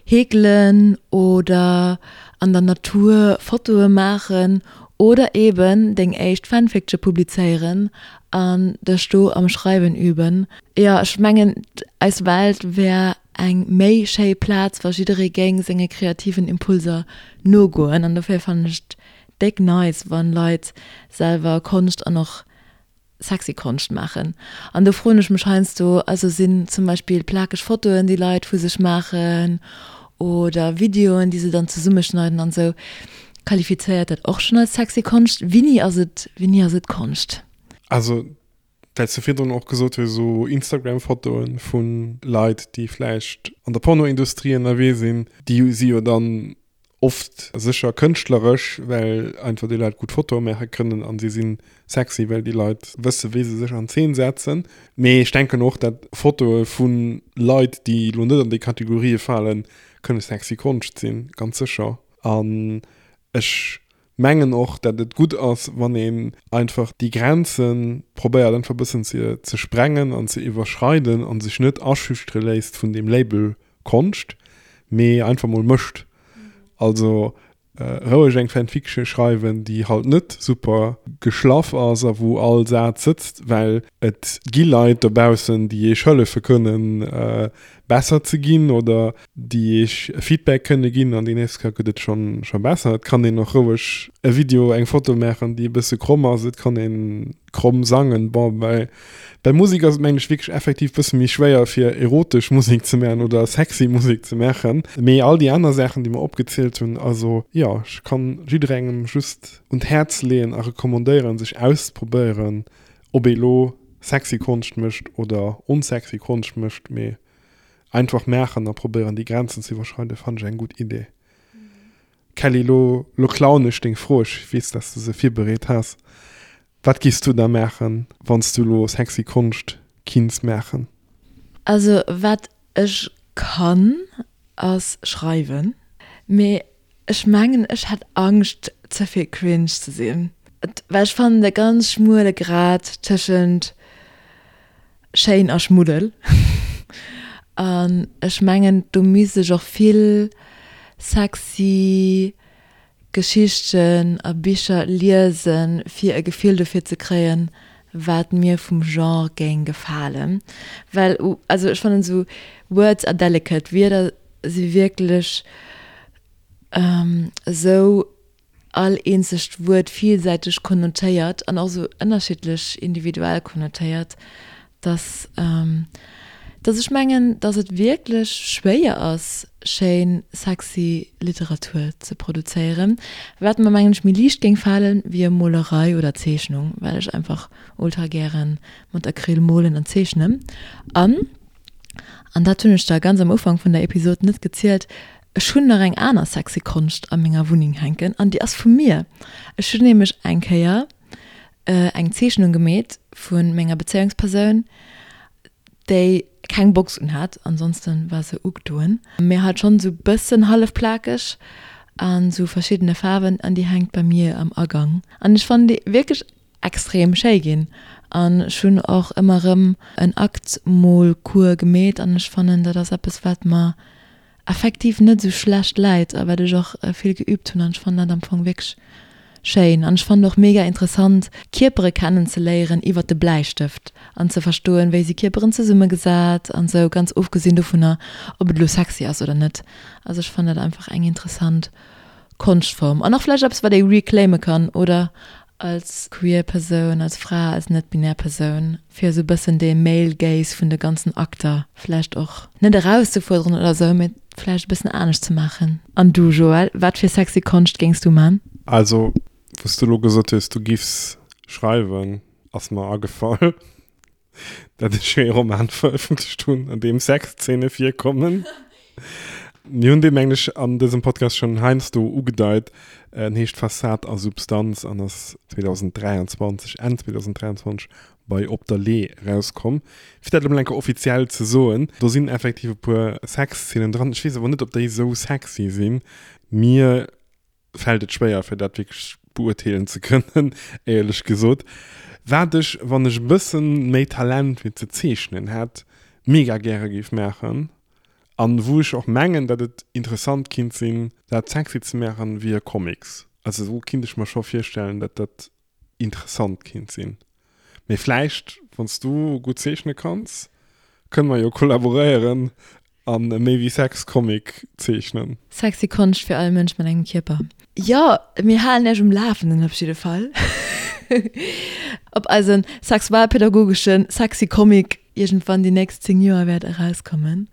heekelen oder an der Natur Fotoe maachen oder eben deng éischt Fanfiction publizéieren an dech do am Schreiwen üben. Jo, ech mengen eis Welt wär eng méi schéi Plaz, wa jidderee géing senge kreativen Impulser nogoen. An dofir fannen ech et déck nice, wann Leit selwer Konscht an och sexy Konscht maachen. An do froen ech mech heiansdo, also sinn zum Beispill plakeg Fotoen, déi Leit vu sech maachen oder Videoen, déi se dann zesummeschneiden an esou, qualifizéiert dat och schonn als sexy Konscht? Wéini ass et, wéini ass et Konscht? Also well s de virdrun och gesot hues, esou Instagram-Fotoe vu Leit, déi vläicht an der Pornoindustrie ënnerwee sinn, déi si jo dann oft sécher kënschtleresch, well einfach déi Leit gutt Fotoe maache kënnen a si si sexy, well déi Leit wësse wéi se sech an Zeen setzen. Mee ech denken och, datt Fotoe vu Leit, déi elo net an déi Kategorië falen, kënne sexy Konscht sinn, ganz sécher. An ech mengen och, dat et gutt ass, wann een einfach déi Grenze probéiert einfach e bëssen ze ze sprengen an ze iwwerschreiden a sech net aschüchtere léisst vun deem Label Konscht, mee einfach mol mécht. Also roueg eng Fanfiction schreiwen, déi halt net super geschlaff ass a wou all Saz sëtzt, well et gi Leit dobaussen, déi iech hëllefe kënnen besser ze ginn oder déi iech Feedback kënne ginn an déi nächst Kéier gëtt et schonn scho besser. Et kann een och roueg e Video, eng Foto maachen, déi e bësse kromm ass. Et kann ee kromm sangen. Bon, bei bei Musek ass et mengen ech wierklech effektiv bësse méi schwéier fir erotesch Musek ze maachen oder sexy Musek ze maachen. Mee all déi aner Saachen, déi mer opgezielt hunn, also jo, ech kann jidderengem just un d'Häerz leeën a recommandéieren, sech auszeprobéieren, ob ee lo sexy Konscht mécht oder onsexy Konscht mécht, mee Einfach maachen a probéieren déi Grenzen ze iwwerschreiden, fannen ech eng gutt Idee. Kelly, lo, lo klauen ech deng Fro, ech weess, dass du se virbereet has. Wat giffs du da maachen, wann s du lo sexy Konscht kinns maachen? Also wat ech kann, ass schreiwen. Mee ech mengen ech hätt Angscht ze vill cringe ze sinn. Well ech fannen de ganz schmuele Grad tëschent schéin a Schmuddel. An ech mengen do misst ech och vill sexy Geschichten a Bicher liesen, fir e Gefill dofir ze kréien, wat mir vum Genre géing gefalen. Well also ech fannen esou words are delicate, Wierder si wierklech esou all eenzegt Wuert villsäiteg konnotéiert an och esou ënnerschiddlech individuell konnotéiert, dass dass ech mengen, dass et wierklech schwéier ass, schéin sexy Literatur ze produzéieren, wat mer mengen ech méi liicht géing falen wéi Molerei oder Zeechnung, well ech einfach ultra gären mat Acryl molen an zeechnen. An, an dat hunn ech der ganz am Ufank vun der Episod net gezielt, ech hunn nach eng aner sexy Konscht a menger Wunneng hänken an déi ass vu mir. Ech hunn nämlech eng Kéier eng Zeechnung gemeet vu menger Bezéiungspersoun, déi keng Box unhat, ansonsten war se ugedoen, mee halt schonn sou bëssen hallef plakeg an sou verschiddene Faarwen an déi hänkt bei mir am Agang an ech fannen déi wierklech extrem schéi ginn an ech hunn och ëmmer erëm en Aktmolcours gemeet an ech fannen dat ass eppes wat mer effektiv net esou schlecht läit a wat ech och vill geübt hunn an ech fannen dat am Fong wierklech schéin an ech fannen och mega interessant Kierpere kennen ze léieren iwwert de Bläistëft an ze verstoen wéi si Kierperen zesummegesat an esou, ganz ofgesinn dovunner ob et elo sexy ass oder net. Also ech fannen dat einfach eng interessant Konschtform an och vläicht eppes wat ee reclaime kann oder als queer Persoun, als Fra, als net-binär Persoun, fir esou e bëssen dee Male Gaze vun de ganzen Akter vläicht och net erauszefuerderen oder esou, mee vläicht e bëssen anescht ze maachen. An du, Joël, wat fir sexy Konscht géings du man? Also, wou s du elo gesot hues, du giffs schreiwen, ass mer agefall, dat ech jo ee Roman verëffentlecht hunn, an deem Sexzeene virkommen. Mir hunn dee mengen ech an dësem Podcast schonn heiansdo ugedeit. En heescht Fassad a Substanz an ass zweedausenddräianzwanzeg, Enn zweedausenddräianzwanzeg bei Op der Lee erauskomm. Fir dat elo mol eng Kéier offiziell ze soen, do sinn effektiv e puer Sexzeenen dran. Ech weess awer net, ob déi esou sexy sinn. Mir fält et schwéier, fir dat wierklech beurteelen ze kënnen, éierlech gesot. Wat ech, wann ech e bësse méi Talent fir ze zeechnen hätt, mega gäre géif maachen, An wou ech och mengen, datt et interessant kinnt sinn, dat sexy ze maachen, wier Comics. Also do kinnt ech mer scho virstellen, datt dat interessant kinnt sinn. Mee vläicht, wann s du gutt zeechne kanns, kënne mer jo kollaboréieren an e Méi wéi Sex Comic zeechnen. Sexy Konscht fir all Mënsch mat engem Kierper. Jo, mir halen iech um Lafenden op jidde Fall. Ob eisen sexualpädagogeschen sexy Comic iergendwann déi nächst zéng Joer wäert erauskommen.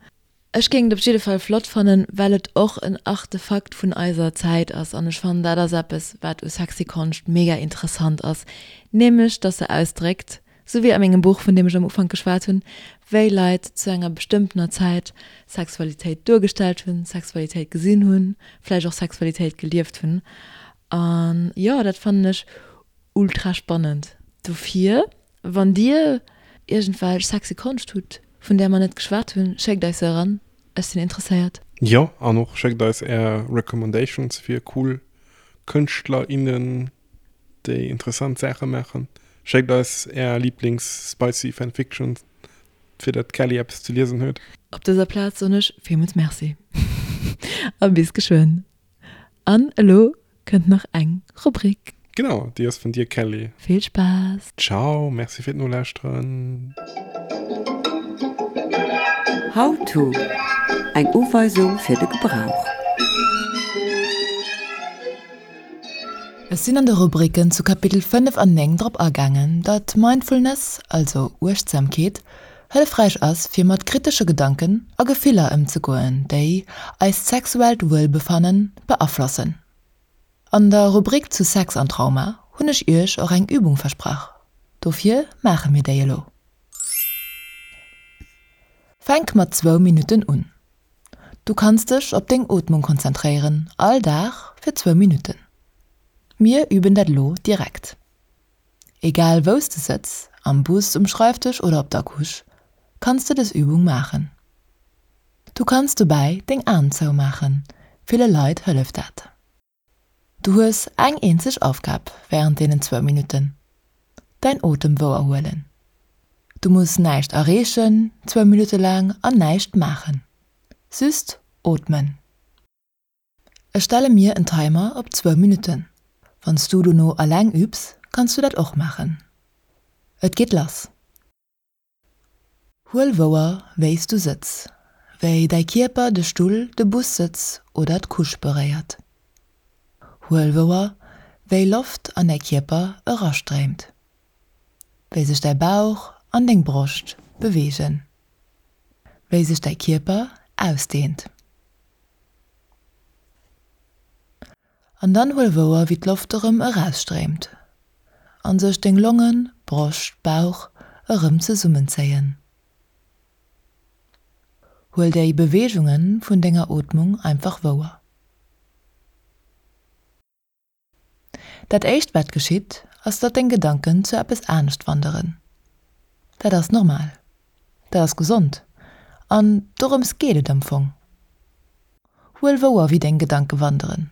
Ech géing et op jidde Fall flott fannen, well et och en Artefakt vun eiser Zäit ass an ech fannen dat ass eppes wat u sexy Konscht mega interessant ass, nämlech dass se ausdréckt, sou wéi a mengem Buch vun deem ech am Ufank geschwat hunn, wéi Leit zu enger bestëmmtener Zäit Sexualitéit duergestallt hunn, Sexualitéit gesinn hunn, vläicht och Sexualitéit gelieft hunn an jo dat fannen ech ultra spannend. Dofir wann dir iergendwelch sexy Konscht hutt, vun där mer net geschwat hunn, schéckt eis se eran, ech sinn interesséiert. Jo, an och schéckt eis är Recommendations fir cool Kënschtler, innen, déi interessant Saache maachen. Schéckt eis är Lieblings-spicy Fanfictions, fir dat d'Kelly eppes ze liesen huet. Op dëser Plaz soen ech villmools Merci a bis geschwënn. An elo kënnt nach eng Rubrik. Genau, déi ass vun dir Kelly. Vill Spaass! Ciao, merci fir d'Nolauschteren. How to, Eng Uweisung fir de Gebrauch. Ech sinn an de Rubriken zu Kapitel fënnef an néng drop agaangen, datt Mindfulness, also Uechtsamkeet, hëllefräich ass fir mat kritesche Gedanken a Gefiller ëmzegoen, déi eist sexuellt Wuelbefannen beaflossen. An der Rubrik zu Sex an Trauma hunn ech iech och eng Übung versprach, dofir maache mir déi elo. Fänk mat zwou Minutten un. Du kanns dech op deng Ootmung konzentréieren, all Dag fir zwou Minutten. Mir üben dat elo direkt. Egal wou s de sëtz, am Bus, um Schreifdësch oder op der Couche, kanns de dës Übung maachen. Du kanns dobäi deng Aen zoumaachen, ville Leit hëlleft dat. Du hues eng eenzeg Aufgab wärend deenen zwou Minutten, däin Otem wouer huelen. Du muss näischt erreechen, zwou Minutte laang, an näischt maachen. Just ootmen. Ech stelle mir en Timer op zwou Minutten. Wann s du dono eleng übs, kanns du dat och maachen. Et geet lass. Huel wouer, wéi s du sëtz, wéi däi Kierper de Stull, de Bussëtz oder d'Couche beréiert. Huel wouer, wéi Loft an däi Kierper erastréimt, wéi sech däi Bauch an deng Broscht beweegen, wéi sech däi Kierper ausdehnt. An dann huel wouer, wéi d'Loft erëm erausstréimt an sech deng Longen, Broscht, Bauch erëm zesummenzéien. Huel déi Beweegunge vun denger Ootmung einfach wouer. Dat éischt wat geschitt, ass datt deng Gedanken zu eppes anescht wanderen. Dat ass normal. Dat ass gesond. An dorëms geet et am Fong. Huel wouer wéi deng Gedanke wanderen.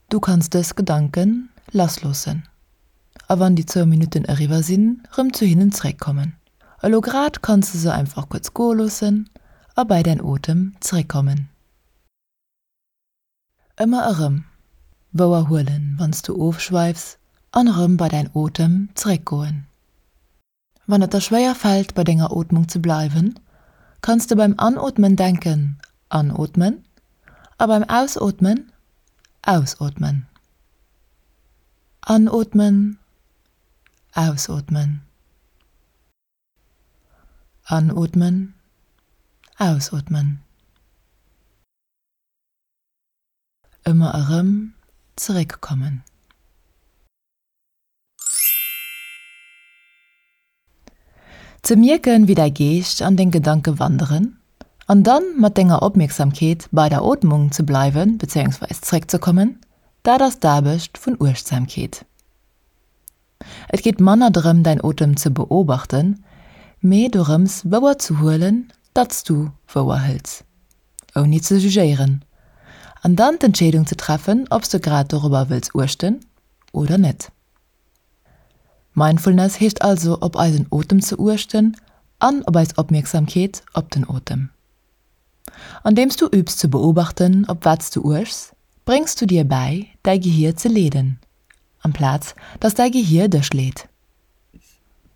Du kanns dës Gedanken lassloossen a wann déi zwou Minutten eriwwer sinn, rëm zu hinnen zréckkommen. Elo grad kanns de se einfach kuerz goe loossen a bei däin Otem zréckkommen. Ëmmer erëm wouer huelen, wann s du ofschweifs an erëm bei däin Otem zréckgoen. Wann et der schwéier fält, bei denger Ootmung ze bleiwen, kanns de beim Anootmen denken, Anootmen, a beim Ausootmen, Ausootmen. Anootmen, ausootmen. Anootmen, ausootmen. Ëmmer erëm zeréckkommen. Ze mierken, wéi däi Geescht an deng Gedanke wanderen an dann mat denger Opmierksamkeet bei der Ootmung ze bleiwen bezéiungsweis zeréckzekommen, dat ass d'Aarbecht vun Uechtsamkeet. Et geet manner drëm, däin Otem ze beobachten, mee dorëms wouer ze huelen, datt s du wouer hëls, ouni ze jugéieren, an dann d'Entscheedung ze treffen, ob s de grad dorobber wëlls uechten oder net. Mindfulness heescht also op eisen Otem ze uechten an op eis Opmierksamkeet op den Otem. Andeems du übs ze beobachten, op wat s du uechs, bréngs du dir bäi, däi Gehier ze leeden, amplaz datt däi Gehier dech leet.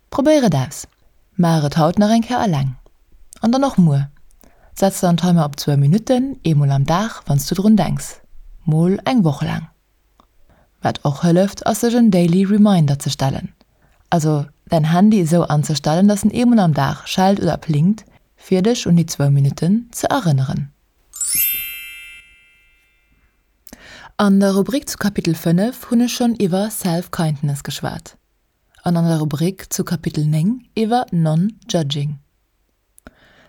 Probéier et aus! Maach et haut nach eng Kéier eleng. An dann och muer. Setz der en Timer op zwou Minutten, eemol am Dag, wann s du drun denks. Mol eng Woch laang. Wat och hëlleft, ass sech en Daily Reminder ze stellen. Also däin Handy esou anzestellen, dass en eemol am Dag schellt oder plingt, fir dech un déi zwou Minutten ze erënneren. An der Rubrik zu Kapitel fënnef hunn ech schonn iwwer Self-Kindness geschwat an an der Rubrik zu Kapitel néng iwwer Non-Judging.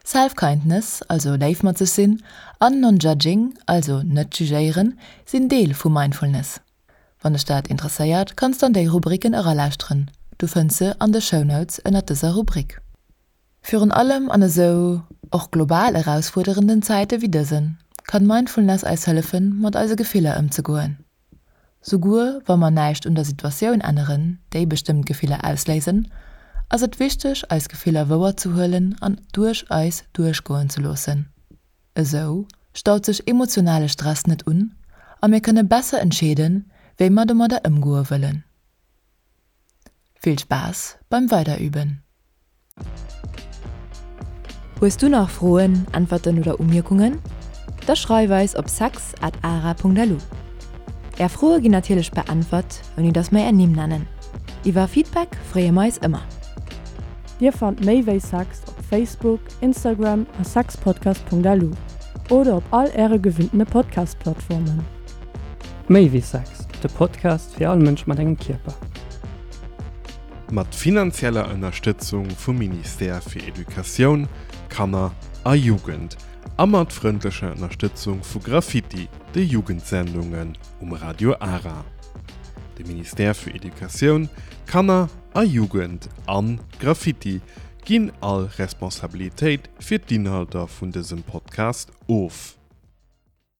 Self-Kindness, also léif mat sech sinn, an Non-Judging, also net jugéieren, sinn Deel vu Mindfulness. Wann dech dat interesséiert, kanns de an déi Rubriken eralauschteren, du fënns se an de Shownotes ënnert dëser Rubrik. Virun allem an esou och global erausfuerderenden Zäite wéi dësen, kann Mindfulness eis hëllefen, mat eise Gefiller ëmzegoen. Souguer wa mer näischt un der Situatioun änneren, déi bestëmmt Gefiller ausléisen, ass et wichteg, eis Gefiller wouer ze huelen an duerch eis duerchgoen ze loossen. Esou staut sech emotionale Stress net un a mir kënne besser entscheeden, wéi mer domadder ëmgoe wëllen. Vill Spaass beim Weiderüben! Hues du nach Froen, Äntwerten oder Umierkungen? Da schreif eis op sex at ara Punkt lu. Är Froe ginn natierlech beäntwert, ouni dass mer är Nimm nennen. Iwwer Feedback freeë mer eis ëmmer. Dir fannt méi wéi Sex op Facebook, Instagram a sexpodcast.lu oder op all äre gewinntene Podcast-Plattformen. Méi wéi Sex, de Podcast fir all Mënsch mat engem Kierper. Mat finanzieller Ënnerstëtzung vum Ministère fir Educatioun, Kanner a Jugend a mat frëndlecher Ënnerstëtzung vu Graffiti, de Jugendsendungen um Radio Ara. De Ministère fir Educatioun, Kanner a Jugend an Graffiti ginn all Responsabilitéit fir d'Inhalter vun dësem Podcast of.